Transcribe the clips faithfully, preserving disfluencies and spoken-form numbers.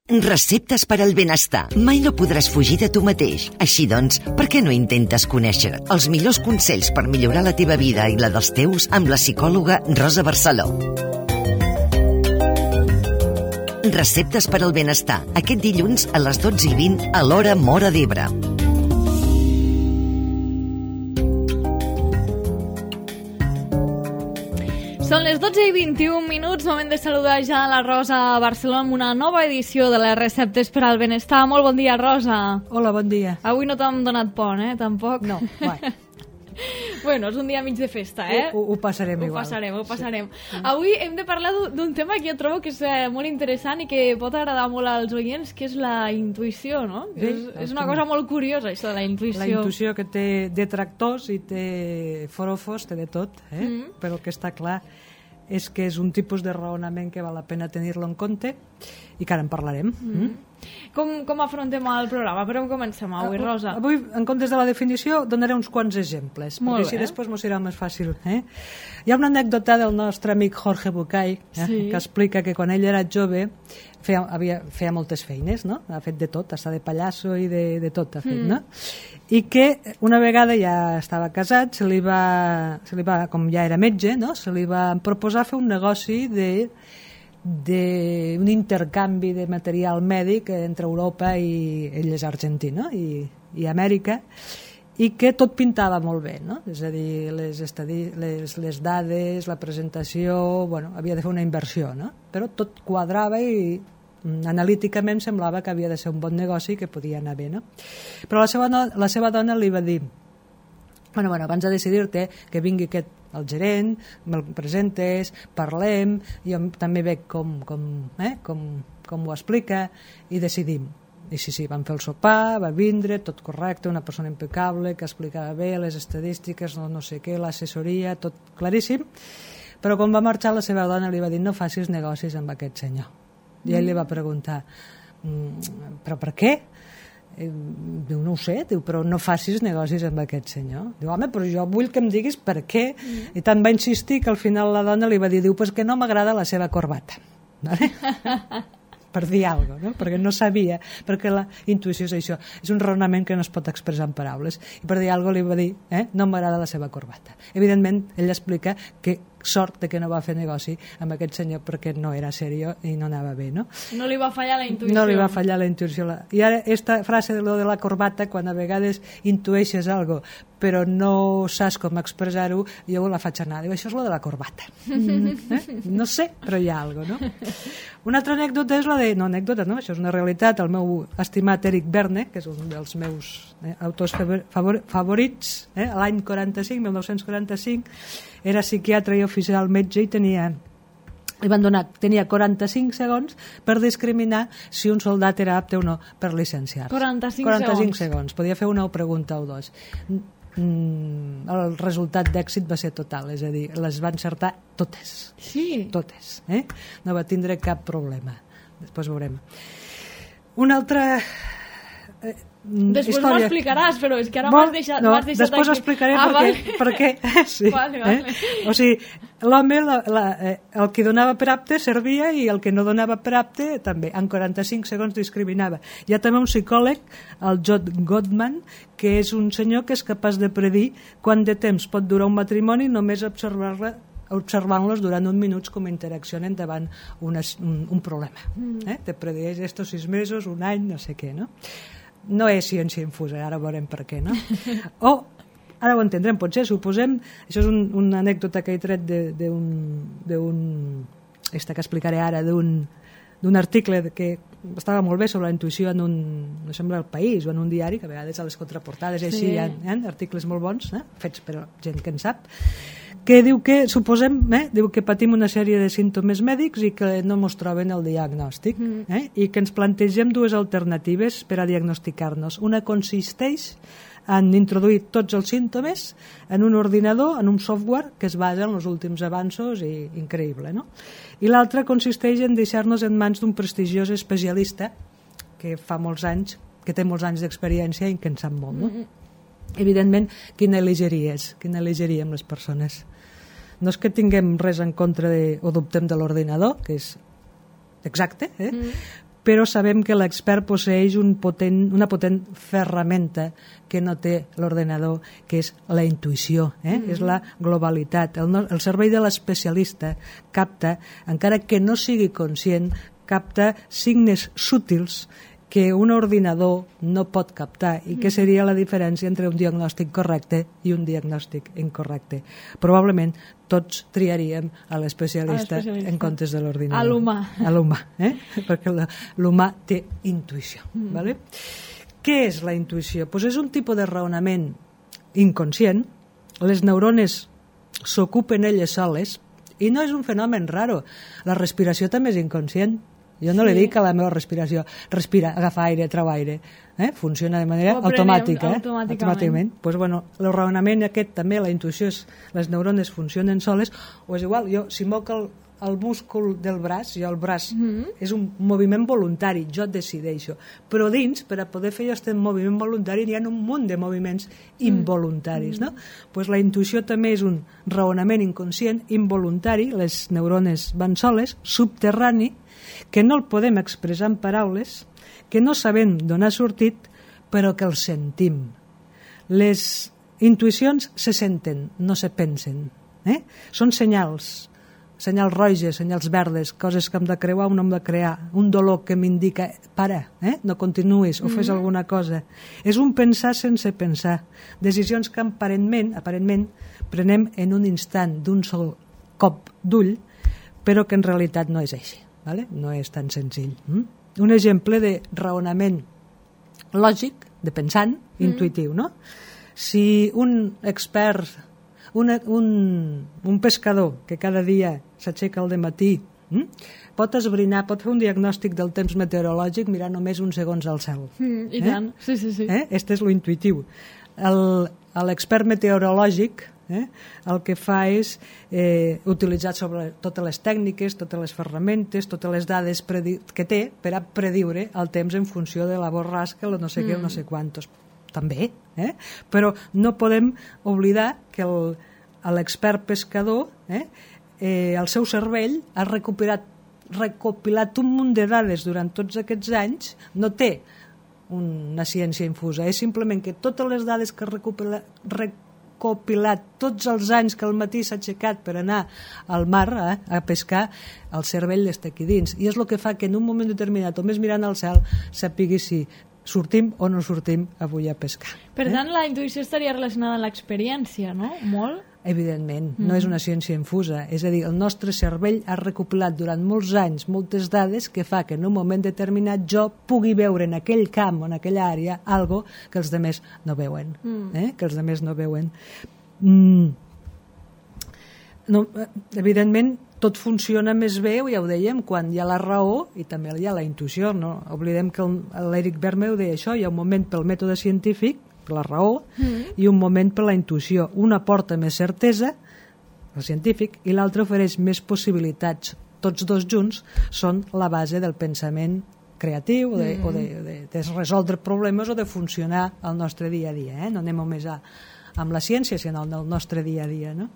Receptes per al benestar. Mai no podràs fugir de tu mateix. Així doncs, per què no intentes conèixer els millors consells per millorar la teva vida i la dels teus amb la psicòloga Rosa Barceló? Receptes per al benestar. Aquest dilluns a les dotze i vint a l'hora Móra d'Ebre. Són les dotze i vint-i-un minuts, moment de saludar ja la Rosa Barcelona amb una nova edició de les receptes per al benestar. Molt bon dia, Rosa. Hola, bon dia. Avui no t'hem donat pont, eh? Tampoc. No, vai. Bueno, és un dia mig de festa, eh? Ho, ho passarem ho igual. Ho passarem, ho passarem. Sí. Avui hem de parlar d'un tema que jo trobo que és molt interessant i que pot agradar molt als oients, que és la intuïció, no? Sí, és, és una cosa molt curiosa, això de la intuïció. La intuïció que té detractors i té forofos, té de tot, eh? Mm. Però el que està clar és que és un tipus de raonament que val la pena tenir-lo en compte i que ara en parlarem. Mm. Mm. Com, com afrontem el programa? Per on comencem avui, Rosa? Avui, en comptes de la definició, donaré uns quants exemples, Molt perquè bé. així després m'ho serà més fàcil. Eh? Hi ha una anècdota del nostre amic Jorge Bucay, eh? Sí. Que explica que quan ell era jove feia, havia, feia moltes feines, no? Ha fet de tot, està de pallasso i de, de tot ha fet, mm. no? I que una vegada ja estava casat, se li va, se li va, com ja era metge, no? Se li va proposar fer un negoci de d'un intercanvi de material mèdic entre Europa i ell és argentí, i, i Amèrica, i que tot pintava molt bé, no? És a dir, les, estadi les, les dades, la presentació, bueno, havia de fer una inversió, no? Però tot quadrava i analíticament semblava que havia de ser un bon negoci i que podia anar bé, no? Però la seva, no, la seva dona li va dir, bueno, bueno, abans de decidir-te que vingui aquest el gerent, me'l presentes, parlem, jo també veig com, com, eh, com, com ho explica i decidim. I sí, sí, vam fer el sopar, va vindre, tot correcte, una persona impecable, que explicava bé les estadístiques, no, no sé què, l'assessoria, tot claríssim, però quan va marxar la seva dona li va dir no facis negocis amb aquest senyor. I ell li va preguntar, però per què? Diu, no ho sé, diu, però no facis negocis amb aquest senyor. Diu, home, però jo vull que em diguis per què. Mm. I tant va insistir que al final la dona li va dir, diu, pues que no m'agrada la seva corbata. Vale? Per dir alguna cosa, no? Perquè no sabia, perquè la intuïció és això, és un raonament que no es pot expressar en paraules, i per dir alguna cosa li va dir, eh, no m'agrada la seva corbata. Evidentment, ell explica que sort de que no va fer negoci amb aquest senyor perquè no era seriós i no anava bé, no? No li va fallar la intuïció. No li va fallar la intuïció. I ara, aquesta frase de lo de la corbata, quan a vegades intueixes algo però no saps com expressar-ho, jo la faig anar. Diu, això és lo de la corbata. Mm, eh? No sé, però hi ha alguna cosa, no? Una altra anècdota és la de... No, anècdota, no? Això és una realitat. El meu estimat Eric Berne, que és un dels meus eh, autors favor favorits, eh? l'any quaranta-cinc, mil nou-cents quaranta-cinc, era psiquiatre i oficial metge i tenia... li van donar, tenia quaranta-cinc segons per discriminar si un soldat era apte o no per llicenciar-se. quaranta-cinc, quaranta-cinc segons. segons. Podia fer una pregunta o dos. El resultat d'èxit va ser total, és a dir, les va encertar totes. Sí. Totes. Eh? No va tindre cap problema. Després veurem. Una altra... Eh, Després història. m'ho explicaràs, però és que ara m'has deixat, no, deixat després aquí. explicaré ah, perquè, vale. perquè sí, vale, vale. Eh? O sigui, l'home la, la, eh, el que donava per apte servia i el que no donava per apte també, en quaranta-cinc segons discriminava. Hi ha també un psicòleg, el John Gottman, que és un senyor que és capaç de predir quant de temps pot durar un matrimoni només observar-la observant-los durant un minut com interaccionen davant una, un, un problema. Mm. Eh? Te predeix estos sis mesos, un any, no sé què, no? No és ciència infusa, ara veurem per què, no? O, ara ho entendrem, potser, suposem, això és un, una anècdota que he tret d'un, esta que explicaré ara, d'un d'un article que estava molt bé sobre la intuïció en un, no sembla El País o en un diari, que a vegades a les contraportades sí. Així hi ha, hi ha articles molt bons, eh? Fets per gent que en sap, que diu que, suposem, eh? diu que patim una sèrie de símptomes mèdics i que no ens troben el diagnòstic, mm. eh? i que ens plantegem dues alternatives per a diagnosticar-nos. Una consisteix en introduir tots els símptomes en un ordinador, en un software que es basa en els últims avanços i increïble, no? I l'altra consisteix en deixar-nos en mans d'un prestigiós especialista que fa molts anys, que té molts anys d'experiència i que en sap molt, no? Mm-hmm. Evidentment, quina elegiries? Quina elegiríem les persones? No és que tinguem res en contra de, o dubtem de l'ordinador, que és exacte, eh? Mm. però sabem que l'expert posseix un potent, una potent ferramenta que no té l'ordenador, que és la intuïció, eh? Mm-hmm. És la globalitat. El, no, el cervell de l'especialista capta, encara que no sigui conscient, capta signes sútils que un ordinador no pot captar i que seria la diferència entre un diagnòstic correcte i un diagnòstic incorrecte. Probablement tots triaríem a l'especialista en comptes de l'ordinador. A l'humà. A l'humà, eh? Perquè l'humà té intuïció. Mm. Vale? Què és la intuïció? Pues és un tipus de raonament inconscient. Les neurones s'ocupen elles soles i no és un fenomen raro. La respiració també és inconscient. Jo no sí. li dic a la meva respiració, respira, agafa aire, trau aire. Eh? Funciona de manera automàtica. Eh? Automàticament. Pues, bueno, el raonament aquest també, la intuïció, és, les neurones funcionen soles, o és igual, jo, si moc el, el múscul del braç, jo el braç mm-hmm. és un moviment voluntari, jo decideixo. Però dins, per a poder fer aquest moviment voluntari, hi ha un munt de moviments involuntaris. Mm-hmm. No? Pues la intuïció també és un raonament inconscient, involuntari, les neurones van soles, subterrani, que no el podem expressar en paraules, que no sabem d'on ha sortit, però que el sentim. Les intuïcions se senten, no se pensen. Eh? Són senyals, senyals roges, senyals verdes, coses que hem de creuar o no hem de crear, un dolor que m'indica, para, eh? no continuïs, o fes alguna cosa. És un pensar sense pensar, decisions que aparentment, aparentment prenem en un instant, d'un sol cop d'ull, però que en realitat no és així. Vale? No és tan senzill. Mm? Un exemple de raonament lògic, de pensant, mm. intuïtiu, no? Si un expert, un, un, un pescador que cada dia s'aixeca al dematí, mm? pot esbrinar, pot fer un diagnòstic del temps meteorològic mirant només uns segons al cel. Mm, I eh? tant, sí, sí, sí. Eh? Este és lo intuïtiu. L'expert meteorològic Eh? el que fa és eh, utilitzar sobre totes les tècniques, totes les ferramentes, totes les dades que té per a prediure el temps en funció de la borrasca, el no sé què, mm. no sé quantos. També, eh? Però no podem oblidar que l'expert pescador, eh, eh, el seu cervell ha recuperat, recopilat un munt de dades durant tots aquests anys, no té una ciència infusa, és simplement que totes les dades que recupera, recupera copilat tots els anys que al matí s'ha aixecat per anar al mar eh, a pescar, el cervell està aquí dins. I és el que fa que en un moment determinat, només mirant al cel, sapigui si sortim o no sortim avui a pescar. Per eh? tant, la intuïció estaria relacionada amb l'experiència, no? Molt? Evidentment, mm. no és una ciència infusa. És a dir, el nostre cervell ha recopilat durant molts anys moltes dades que fa que en un moment determinat jo pugui veure en aquell camp o en aquella àrea algo que els demés no veuen. Mm. Eh? Que els demés no veuen. Mm. No, evidentment, tot funciona més bé, ja ho dèiem, quan hi ha la raó i també hi ha la intuïció. No? Oblidem que l'Eric Berne ho deia això, hi ha un moment pel mètode científic, per la raó, mm. i un moment per la intuïció. Una porta més certesa, el científic, i l'altre ofereix més possibilitats. Tots dos junts són la base del pensament creatiu, de, mm. o de, de, de resoldre problemes o de funcionar al nostre dia a dia. Eh? No anem només a, amb la ciència, sinó al nostre dia a dia. No?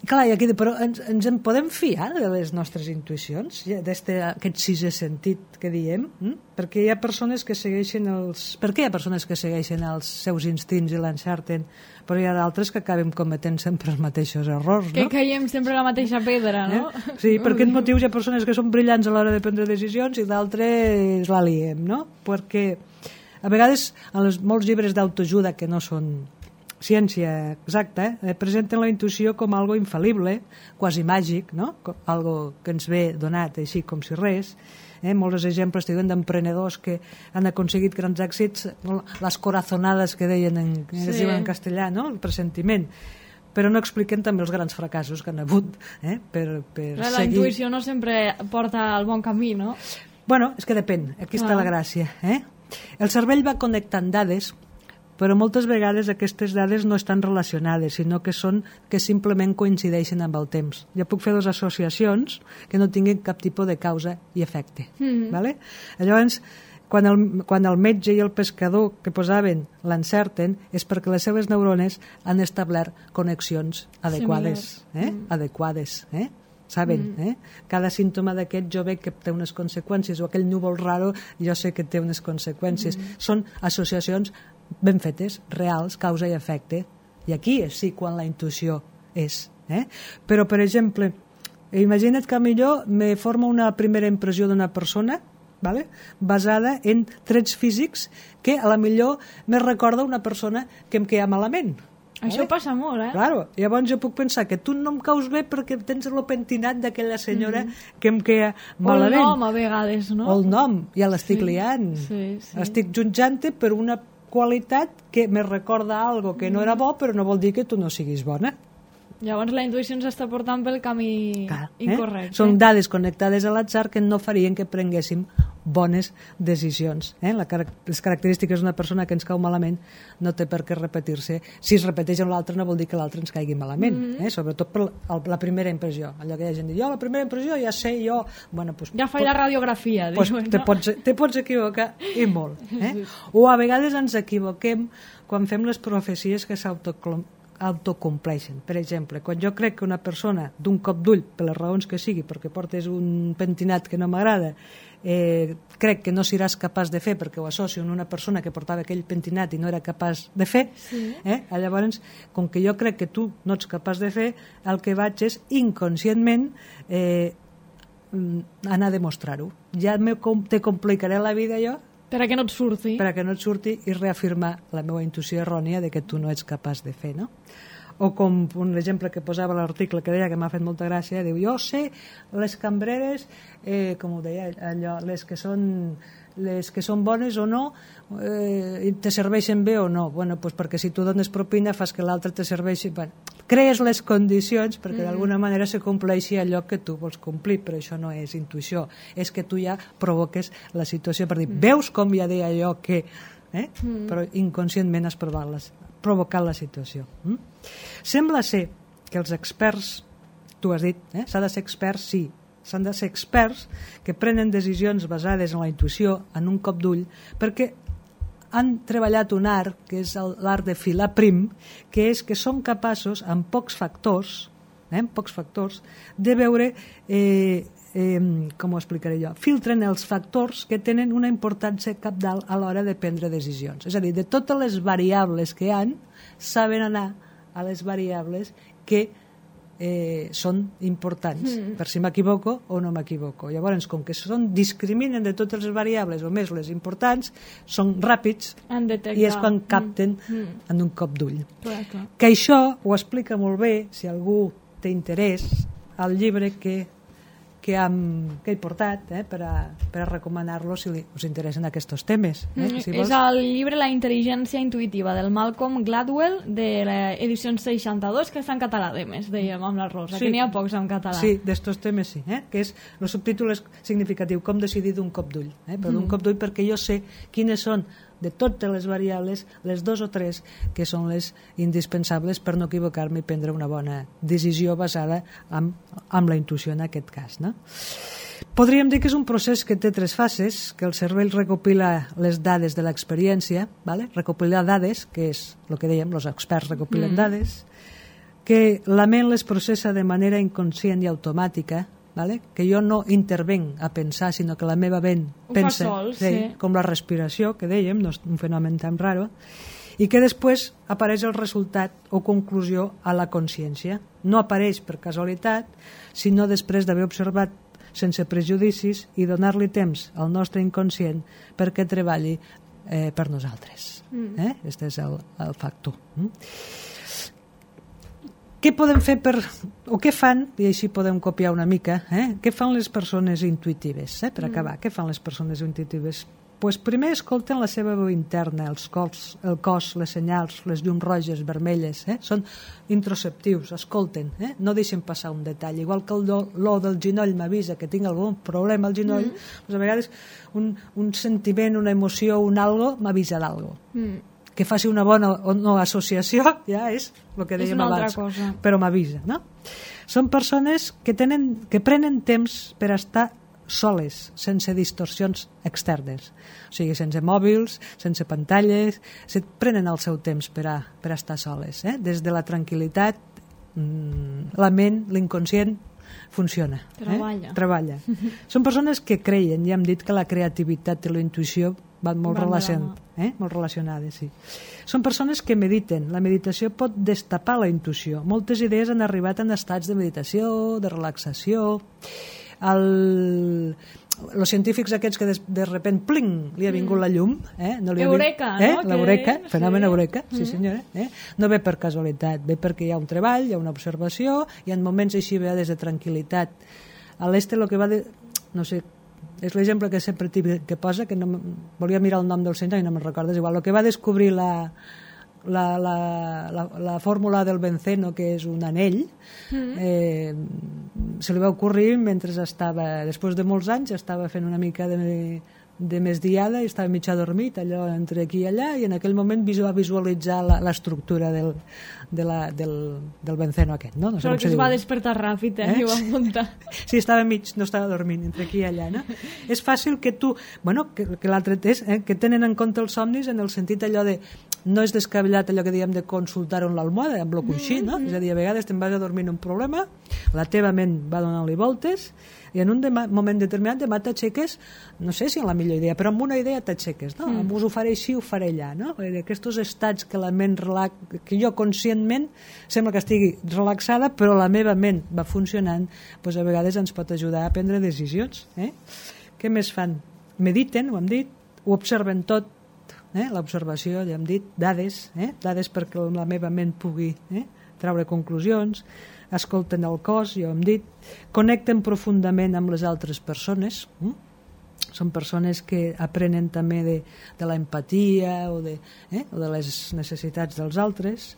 Clar, aquí, però ens, ens en podem fiar de les nostres intuïcions, d'aquest sisè sentit que diem? Hm? Perquè hi ha persones que segueixen els... Per què hi ha persones que segueixen els seus instints i l'encerten, però hi ha d'altres que acabem cometent sempre els mateixos errors, no? Que caiem sempre a la mateixa pedra, no? Eh? Sí, per aquest motiu hi ha persones que són brillants a l'hora de prendre decisions i d'altres la liem, no? Perquè a vegades en els, molts llibres d'autoajuda que no són ciència exacta, eh, presenten la intuïció com algo infal·lible, quasi màgic, no? Algo que ens ve donat així com si res. Eh? Molts exemples diuen d'emprenedors que han aconseguit grans èxits, les corazonades que deien en, sí. es diuen en castellà, no? El pressentiment. Però no expliquen també els grans fracassos que han hagut eh? per, per la seguir. La intuïció no sempre porta al bon camí, no? Bueno, és que depèn, aquí està ah. la gràcia. Eh? El cervell va connectant dades, però moltes vegades aquestes dades no estan relacionades, sinó que són que simplement coincideixen amb el temps. Jo puc fer dues associacions que no tinguin cap tipus de causa i efecte. Mm-hmm. Vale? Llavors, quan el, quan el metge i el pescador que posaven l'encerten és perquè les seves neurones han establert connexions adequades. Eh? Mm. Adequades. Eh? saben, mm. eh? Cada símptoma d'aquest jo veig que té unes conseqüències, o aquell núvol raro jo sé que té unes conseqüències. Mm. Són associacions ben fetes, reals, causa i efecte, i aquí és sí quan la intuïció és. Eh? Però, per exemple, imagina't que millor me forma una primera impressió d'una persona, vale? Basada en trets físics que a la millor me recorda una persona que em queda malament. Això vale? Passa molt, eh? Claro. Llavors jo puc pensar que tu no em caus bé perquè tens el pentinat d'aquella senyora mm. que em queda malament. O el nom, a vegades, no? O el nom, ja l'estic sí. liant. Sí, sí. Estic jutjant-te per una qualitat que me recorda algo que no era bo, però no vol dir que tu no siguis bona. Llavors la intuïció ens està portant pel camí Clar, eh? incorrecte. Són dades connectades a l'atzar que no farien que prenguéssim bones decisions. Eh? La, les característiques d'una persona que ens cau malament no té per què repetir-se. Si es repeteix amb l'altre no vol dir que l'altre ens caigui malament, mm-hmm. eh? Sobretot per la primera impressió. Allò que hi ha gent diu, jo la primera impressió ja sé, jo... Bueno, pues, ja faig pot, la radiografia. Pues, diuen, te, no? pots, te pots equivocar i molt. Eh? Sí. O a vegades ens equivoquem quan fem les profecies que s'autoclom autocompleixen. Per exemple, quan jo crec que una persona d'un cop d'ull, per les raons que sigui, perquè portes un pentinat que no m'agrada, eh, crec que no seràs capaç de fer perquè ho associo amb una persona que portava aquell pentinat i no era capaç de fer, sí. eh? Llavors, com que jo crec que tu no ets capaç de fer, el que vaig és inconscientment eh, anar a demostrar-ho. Ja me, te complicaré la vida jo per a que no et surti. Per a que no et surti i reafirmar la meva intuïció errònia de que tu no ets capaç de fer, no? O com un exemple que posava l'article que deia que m'ha fet molta gràcia, diu, jo sé les cambreres, eh, com ho deia allò, les que són les que són bones o no, eh, te serveixen bé o no. Bueno, pues perquè si tu dones propina fas que l'altre te serveixi. Bueno, crees les condicions perquè mm. d'alguna manera se compleixi allò que tu vols complir, però això no és intuïció, és que tu ja provoques la situació per dir, mm. veus com ja deia allò que... Eh? Mm. Però inconscientment has provat les, provocat la situació. Mm? Sembla ser que els experts, tu has dit, eh? s'ha de ser experts, sí, s'han de ser experts que prenen decisions basades en la intuïció, en un cop d'ull, perquè han treballat un art, que és l'art de filar prim, que és que són capaços, amb pocs factors, eh, amb pocs factors, de veure, eh, eh, com ho explicaré jo, filtren els factors que tenen una importància cabdal a l'hora de prendre decisions. És a dir, de totes les variables que hi ha, saben anar a les variables que Eh, són importants, mm. per si m'equivoco o no m'equivoco. Llavors, com que són, discriminen de totes les variables o més les importants, són ràpids i és quan capten mm. en un cop d'ull. Clar, clar. Que això ho explica molt bé, si algú té interès, al llibre que, que, hem, que he portat eh, per, a, per a recomanar-lo si li, us interessen aquests temes. Eh, mm, si és el llibre La intel·ligència intuïtiva del Malcolm Gladwell de l'edició seixanta-dos, que està en català, a més, dèiem amb la Rosa, sí. que n'hi ha pocs en català. Sí, d'estos temes sí, eh? que és el subtítol és significatiu, com decidir d'un cop d'ull. Eh? Però d'un mm. cop d'ull perquè jo sé quines són de totes les variables, les dos o tres que són les indispensables per no equivocar-me i prendre una bona decisió basada en, en la intuïció en aquest cas. No? Podríem dir que és un procés que té tres fases, que el cervell recopila les dades de l'experiència, ¿vale? Recopilar dades, que és el que dèiem, els experts recopilen mm. dades, que la ment les processa de manera inconscient i automàtica, ¿vale? Que jo no intervenc a pensar, sinó que la meva ment pensa, sol, sí, sí. com la respiració, que dèiem, no és un fenomen tan raro, i que després apareix el resultat o conclusió a la consciència. No apareix per casualitat, sinó després d'haver observat sense prejudicis i donar-li temps al nostre inconscient perquè treballi eh, per nosaltres. Mm. Eh? Este és el, el factor. Mm? Què podem fer per... o què fan, i així podem copiar una mica, eh? Què fan les persones intuïtives, eh? Per acabar, mm. què fan les persones intuïtives? Pues primer escolten la seva veu interna, els cos, el cos, les senyals, les llums roges, vermelles, eh? Són introspectius, escolten, eh? No deixen passar un detall. Igual que l'olor del genoll m'avisa que tinc algun problema al genoll, mm. doncs a vegades un, un sentiment, una emoció, un algo, m'avisa d'algo. Mm. Que faci una bona o no associació ja és el que dèiem abans, cosa. Però m'avisa, no? Són persones que, tenen, que prenen temps per estar soles, sense distorsions externes, o sigui, sense mòbils, sense pantalles, se prenen el seu temps per a, per a estar soles, eh? Des de la tranquil·litat, la ment, l'inconscient funciona. Treballa. Eh? Treballa. Són persones que creien, ja hem dit que la creativitat i la intuïció van molt, Van relacion... eh? molt relacionades. Sí. Són persones que mediten. La meditació pot destapar la intuïció. Moltes idees han arribat en estats de meditació, de relaxació. El... els científics aquests que de, de repent, pling, li ha vingut mm. la llum. Eh? No li Eureka, ha... eh? no? L'eureka, que... fenomen sí. eureka, sí senyora. Eh? No ve per casualitat, ve perquè hi ha un treball, hi ha una observació, hi ha moments així vegades de tranquil·litat. A l'este el que va de... no sé, és l'exemple que sempre que posa, que no volia mirar el nom del senyor i no me'n recordes igual, el que va descobrir la La, la, la, la fórmula del benceno, que és un anell, mm. eh, se li va ocórrer mentre estava, després de molts anys, estava fent una mica de, de més diada i estava mig adormit, allò entre aquí i allà, i en aquell moment va visualitzar l'estructura del, de la, del, del benceno aquest. No? No sé Però que es diu. Va despertar ràpid, eh? eh? I ho va muntar. Sí, estava mig, no estava dormint, entre aquí i allà. No? És fàcil que tu... Bueno, que, que l'altre és, eh, que tenen en compte els somnis en el sentit allò de... No és descabellat allò que diem de consultar en l'almohada, amb el coixí, no? Mm-hmm. És a dir, a vegades te'n vas a dormir en un problema, la teva ment va donant-li voltes, i en un de moment determinat demà t'aixeques, no sé si en la millor idea, però amb una idea t'aixeques, no? Mm. Us ho faré així, ho faré allà, no? Aquests estats que la ment relax... que jo conscientment sembla que estigui relaxada, però la meva ment va funcionant, doncs a vegades ens pot ajudar a prendre decisions. Eh? Què més fan? Mediten, ho hem dit, ho observen tot, eh? L'observació, ja hem dit, dades, eh? dades perquè la meva ment pugui eh? treure conclusions, escolten el cos, ja ho hem dit, connecten profundament amb les altres persones, eh? Són persones que aprenen també de, de la empatia o de, eh? o de les necessitats dels altres.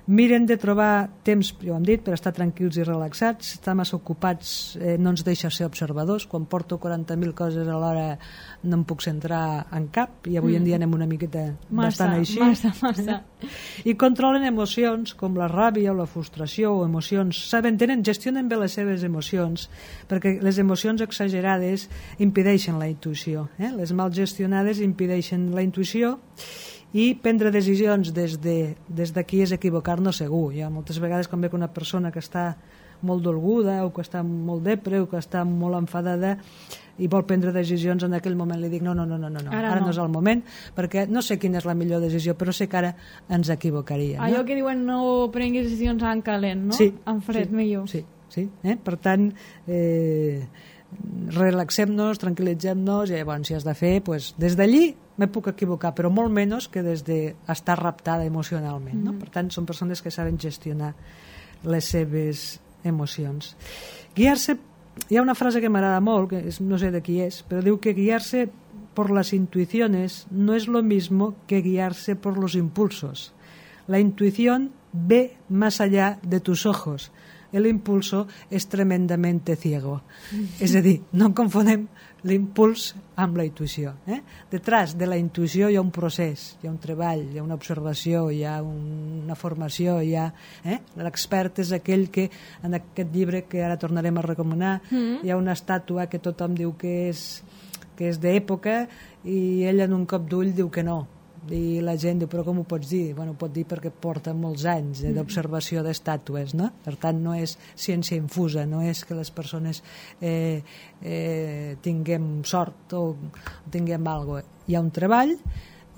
Miren de trobar temps, ja ho hem dit, per estar tranquils i relaxats. Estar massa ocupats eh, no ens deixa ser observadors. Quan porto quaranta mil coses a l'hora no em puc centrar en cap, i avui mm. en dia anem una miqueta massa, bastant així. Massa, massa. I controlen emocions com la ràbia o la frustració o emocions. Saben, tenen, gestionen bé les seves emocions, perquè les emocions exagerades impedeixen la intuïció. Eh? Les mal gestionades impedeixen la intuïció, i prendre decisions des de, des d'aquí és equivocar-nos segur. Jo moltes vegades quan veig una persona que està molt dolguda o que està molt depre o que està molt enfadada i vol prendre decisions, en aquell moment li dic no, no, no, no, no. Ara, ara no. no és el moment, perquè no sé quina és la millor decisió, però sé que ara ens equivocaríem. Allò no? que diuen no prenguis decisions en calent, no? Sí. En fred, sí, millor. Sí, sí. Eh? Per tant, eh, relaxem-nos, tranquil·litzem-nos, i llavors si has de fer, pues, des d'allí me puc equivocar, però molt menys que des d'estar raptada emocionalment. No? Mm. Per tant, són persones que saben gestionar les seves emocions. Guiar-se, hi ha una frase que m'agrada molt, que és, no sé de qui és, però diu que guiar-se por las intuiciones no es lo mismo que guiarse por los impulsos. La intuición ve más allá de tus ojos. El impulso es tremendamente ciego. És a dir, no confonem l'impuls amb la intuïció. Eh? Detrás de la intuïció hi ha un procés, hi ha un treball, hi ha una observació, hi ha una formació, hi ha... Eh? L'expert és aquell que, en aquest llibre que ara tornarem a recomanar, mm-hmm. hi ha una estàtua que tothom diu que és, que és d'època i ell en un cop d'ull diu que no. I la gent diu, però com ho pots dir? Bueno, ho pot dir perquè porta molts anys eh, d'observació d'estàtues, no? Per tant, no és ciència infusa, no és que les persones eh, eh, tinguem sort o tinguem alguna cosa. Hi ha un treball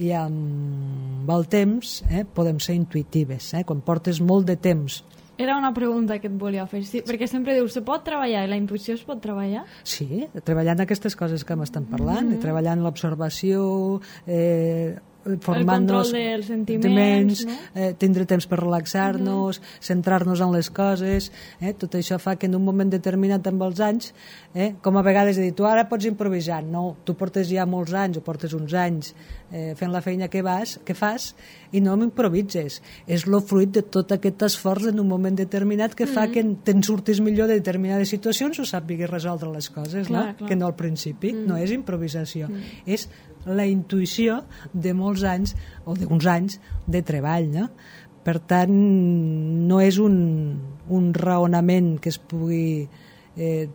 i amb el temps eh, podem ser intuïtives. Eh? Quan portes molt de temps. Era una pregunta que et volia fer, sí, perquè sempre dius, se pot treballar i la intuïció es pot treballar? Sí, treballant aquestes coses que m'estan parlant, mm-hmm. treballant l'observació, eh, formant-nos, el control dels sentiments, no? eh, tindre temps per relaxar-nos, mm-hmm. centrar-nos en les coses, eh, tot això fa que en un moment determinat amb els anys, eh, com a vegades he dit, tu ara pots improvisar, no, tu portes ja molts anys o portes uns anys eh, fent la feina que, vas, que fas i no m'improvises, és el fruit de tot aquest esforç en un moment determinat que fa mm-hmm. que te'n surtis millor de determinades situacions o sàpigues resoldre les coses, clar, no? Clar. Que no al principi, mm. no és improvisació, mm. és la intuïció de molts anys o d'uns anys de treball, no? Per tant, no és un, un raonament que es pugui eh,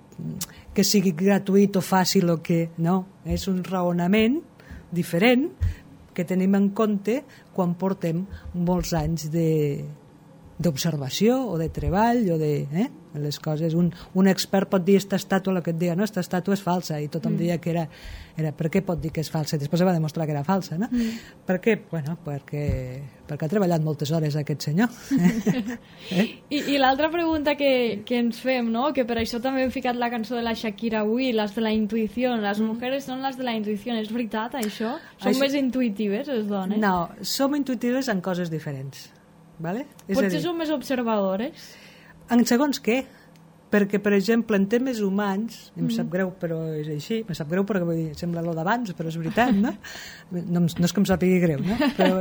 que sigui gratuït o fàcil o que no, és un raonament diferent que tenim en compte quan portem molts anys de, d'observació o de treball o de eh, les coses. Un, un expert pot dir esta estàtua, el que et diga, no, esta estàtua és falsa, i tothom mm. deia que era, era per què pot dir que és falsa? Després se va demostrar que era falsa, no? Mm. Per què? Bueno, perquè, perquè ha treballat moltes hores aquest senyor. eh? I, i l'altra pregunta que, que ens fem, no? Que per això també hem ficat la cançó de la Shakira avui, les de la intuïció, les mm. mujeres són les de la intuïció, és veritat això? Som això... més intuïtives les dones? No, som intuïtives en coses diferents. Vale? Potser som més observadores? En segons què? Perquè, per exemple, en temes humans, em mm. sap greu, però és així, em sap greu perquè vull dir, sembla lo d'abans, però és veritat, no? No, no és que em sàpigui greu, no? Però,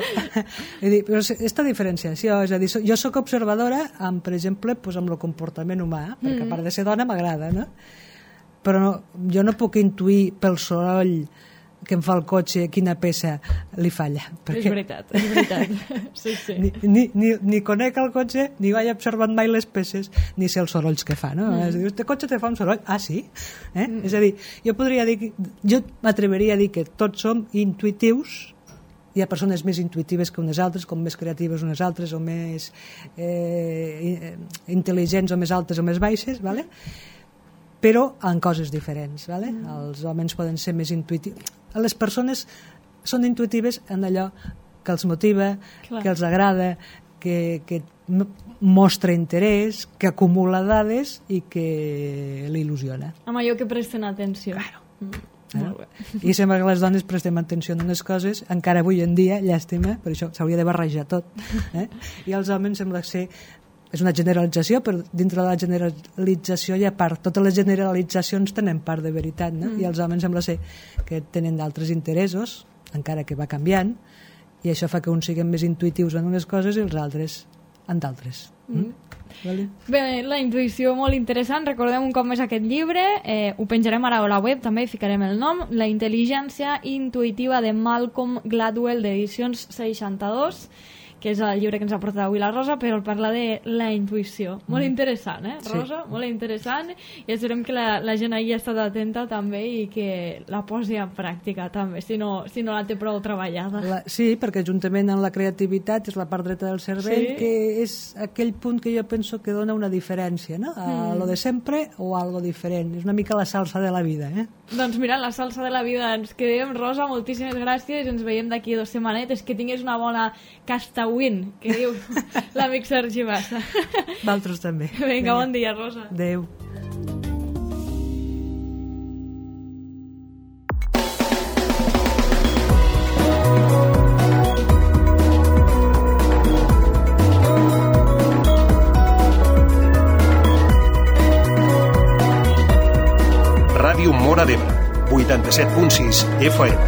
dir, però aquesta diferenciació, és a dir, jo sóc observadora amb, per exemple, doncs amb el comportament humà, perquè a part de ser dona m'agrada, no? Però no, jo no puc intuir pel soroll que em fa el cotxe quina peça li falla. Perquè... És veritat, és veritat. Sí, sí. Ni, ni, ni, ni conec el cotxe, ni vaig observant mai les peces, ni sé els sorolls que fa, no? Mm. És a dir, este cotxe te fa un soroll? Ah, sí? Eh? Mm. És a dir, jo podria dir, que, jo m'atreveria a dir que tots som intuïtius. Hi ha persones més intuïtives que unes altres, com més creatives unes altres, o més eh, intel·ligents, o més altes o més baixes, ¿vale? Però en coses diferents, ¿vale? Mm. Els homes poden ser més intuïtius. Les persones són intuïtives en allò que els motiva, clar, que els agrada, que, que mostra interès, que acumula dades i que l'il·lusiona. Amb allò que presten atenció. Claro. Mm. Molt bé. I sembla que les dones prestem atenció a unes coses, encara avui en dia, llàstima, per això s'hauria de barrejar tot. Eh? I els homes sembla ser... És una generalització, però dintre de la generalització hi ha part. Totes les generalitzacions tenen part de veritat, no? Mm. I els homes sembla ser que tenen d'altres interessos, encara que va canviant, i això fa que uns siguin més intuïtius en unes coses i els altres en d'altres. Mm. Mm? Vale. Bé, la intuïció molt interessant. Recordem un cop més aquest llibre, eh, ho penjarem ara a la web, també hi ficarem el nom, La intel·ligència intuïtiva de Malcolm Gladwell, d'Edicions seixanta-dos, que és el llibre que ens ha portat avui la Rosa, però parla de la intuïció. Molt interessant, eh, Rosa? Sí. Molt interessant, i esperem que la, la gent hagi estat atenta també i que la posi en pràctica també, si no, si no la té prou treballada. La, sí, perquè juntament amb la creativitat és la part dreta del cervell, sí, que és aquell punt que jo penso que dona una diferència, no? A mm. lo de sempre o a algo diferent. És una mica la salsa de la vida, eh? Doncs mira, la salsa de la vida ens quedem. Rosa, moltíssimes gràcies, ens veiem d'aquí dues setmanetes, que tinguis una bona casta win, que diu l'amic Sergi Bassa. Valtros també. Vinga, Vinga, bon dia, Rosa. Adéu. Ràdio Móra d'Ebre, vuitanta-set punt sis F M.